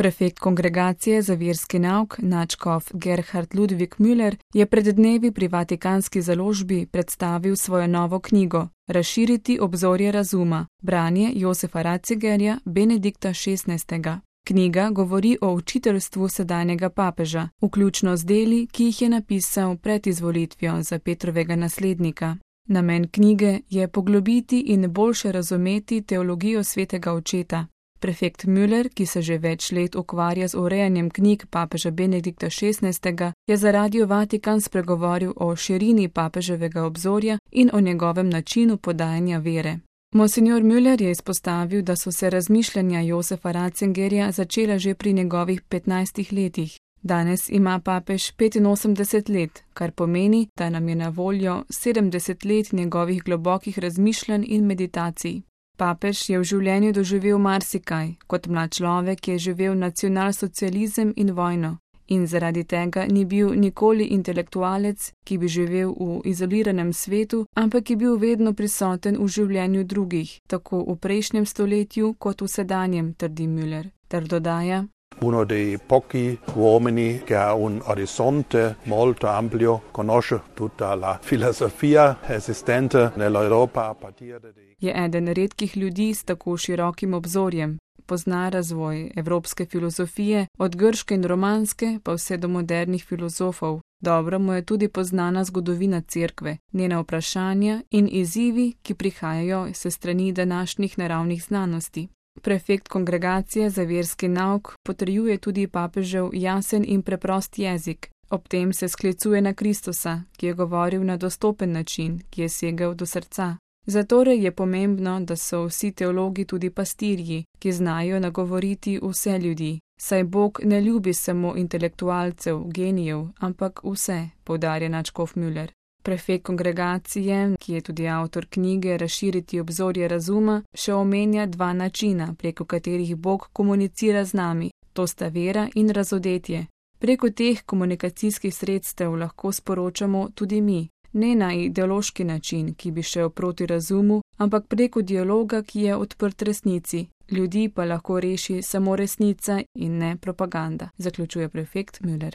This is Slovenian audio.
Prefekt Kongregacije za verski nauk nadškof Gerhard Ludwig Müller je pred dnevi pri Vatikanski založbi predstavil svojo novo knjigo Razširiti obzorje razuma, branje Josefa Ratzingerja Benedikta XVI. Knjiga govori o učiteljstvu sedanjega papeža, vključno z deli, ki jih je napisal pred izvolitvijo za Petrovega naslednika. Namen knjige je poglobiti in boljše razumeti teologijo svetega očeta. Prefekt Müller, ki se že več let ukvarja z urejanjem knjig papeža Benedikta XVI., je za Radio Vatikan spregovoril o širini papeževega obzorja in o njegovem načinu podajanja vere. Monsignor Müller je izpostavil, da so se razmišljanja Josefa Ratzingerja začela že pri njegovih 15 letih. Danes ima papež 85 let, kar pomeni, da nam je na voljo 70 let njegovih globokih razmišljanj in meditacij. Papež je v življenju doživel marsikaj, kot mlad človek je živel nacionalsocializem in vojno, in zaradi tega ni bil nikoli intelektualec, ki bi živel v izoliranem svetu, ampak je bil vedno prisoten v življenju drugih, tako v prejšnjem stoletju kot v sedanjem, trdi Müller, ter dodaja: Uno dei pochi uomini che ha un orizzonte molto ampio, conosce tutta la filosofia esistente nell'Europa a partire dei... Je eden redkih ljudi s tako širokim obzorjem. Pozna razvoj evropske filozofije, od grške in romanske pa vse do modernih filozofov. Dobro mu je tudi poznana zgodovina cerkve, njena vprašanja in izzivi, ki prihajajo s strani današnjih naravnih znanosti. Prefekt Kongregacije za verski nauk potrjuje tudi papežev jasen in preprost jezik. Ob tem se sklicuje na Kristusa, ki je govoril na dostopen način, ki je segel do srca. Zatorej je pomembno, da so vsi teologi tudi pastirji, ki znajo nagovoriti vse ljudi. Saj Bog ne ljubi samo intelektualcev, genijev, ampak vse, poudarja nadškof Müller. Prefekt Kongregacije, ki je tudi avtor knjige Razširiti obzorje razuma, še omenja dva načina, preko katerih Bog komunicira z nami, to sta vera in razodetje. Preko teh komunikacijskih sredstev lahko sporočamo tudi mi, ne na ideološki način, ki bi šel proti razumu, ampak preko dialoga, ki je odprt resnici. Ljudi pa lahko reši samo resnica in ne propaganda, zaključuje prefekt Müller.